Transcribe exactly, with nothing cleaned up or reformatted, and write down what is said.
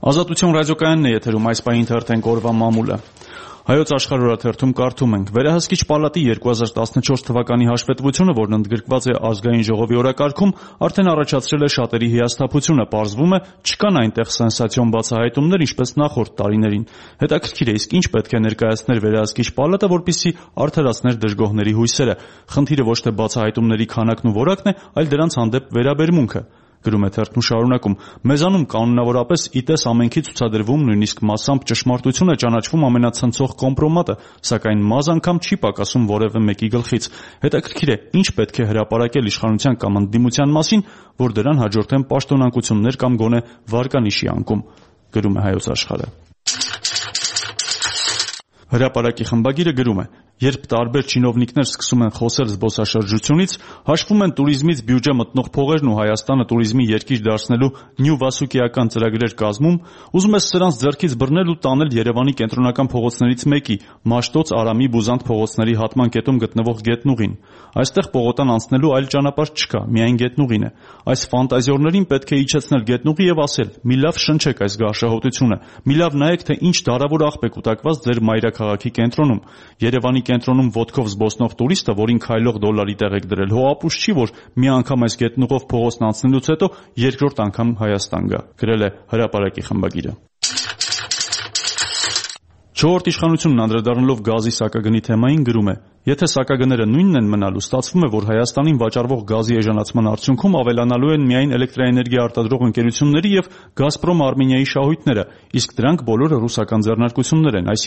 Ազատություն ռադիոկայանն է եթերում, այս պահին թերթենք օրվա մամուլը։ Հայոց աշխարհ օրաթերթում կարդում ենք. Վերահսկիչ պալատի երկու հազար տասնչորս թվականի հաշվետվությունը, որն ընդգրկված է ազգային ժողովի օրակարգում, արդեն առաջացրել է շատերի հիասթափությունը, պարզվում է, չկան այնտեղ սենսացիոն բացահայտումներ, ինչպես նախորդ տարիներին։ Հետաքրքիր է, իսկ ինչ պետք է ներկայացներ վերահսկիչ պալատը, որպեսզի արդարացներ դժգոհների հույսերը։ Խնդիրը ոչ թե բացահայտումների քանակն ու որակն է, այլ դրանց հանդեպ վերաբերմունքը։ Գրում է թերթն ու շարունակում. Մեզանում կանոնավորապես իտես ամենքի ցուցադրվում, նույնիսկ massամբ ճշմարտություն է ճանաչվում ամենացնցող կոմպրոմատը, սակայն մազ անգամ չի պակասում որևէ մեկի գլխից։ Հետաքրքիր է, ինչ պետք է հրապարակել իշխանության կամ ընդդիմության մասին, որ դրան հաջորդեն պաշտոնակություններ կամ գոնե վարկանիշի անկում։ Գրում է Հայոց աշխարհը։ Հրապարակի խմբագիրը գրում է. Երբ տարբեր չինովնիկներ սկսում են խոսել զբոսաշրջությունից, հաշվում են տուրիզմից բյուջե մտնող փողերն ու Հայաստանը տուրիզմի երկիր դարձնելու նյու-վասուկիական ծրագրեր կազմում, ուզում ես սրանց ձեռքից բռնել ու տանել Երևանի կենտրոնական փողոցներից մեկի՝ Մաշտոց, Արամի, Բուզանդ փողոցների հատման կետում գտնվող գետնուղին։ Այստեղ պողոտան անցնելու այլ ճանապարհ չկա, միայն գետնուղին է։ Այս ֆանտազիորներին պետք է իջեցնել գետնուղի եւ ասել՝ մի լավ շնչեք այս գարշահոտությունը, մի լավ նայեք, թե ինչ դարավոր աղբ է կուտակված ձեր մայրաքաղաքի կենտրոնում։ Երևանի կենտրոնում ոտքով զբոսնող տուրիստը, որին քայլող դոլարի տեղ եք դրել, հո ապուշ չի, որ մի անգամ այս գետնուղով փողոցն անցնելուց հետո երկրորդ անգամ Հայաստան գա, գրել է հրապարակի խմբագիրը։ Չորրորդ իշխանությունն անդրադառնալով գազի սակագնի թեմային գրում է. Եթե սակագները նույնն են մնալու, ստացվում է, որ Հայաստանին վաճառվող գազի էժանացման արդյունքում ավելանալու են միայն էլեկտրաէներգիա արտադրող ընկերությունների եւ Գազպրոմ Արմենիայի շահույթները, իսկ դրանք բոլորը ռուսական ձեռնարկություններ են,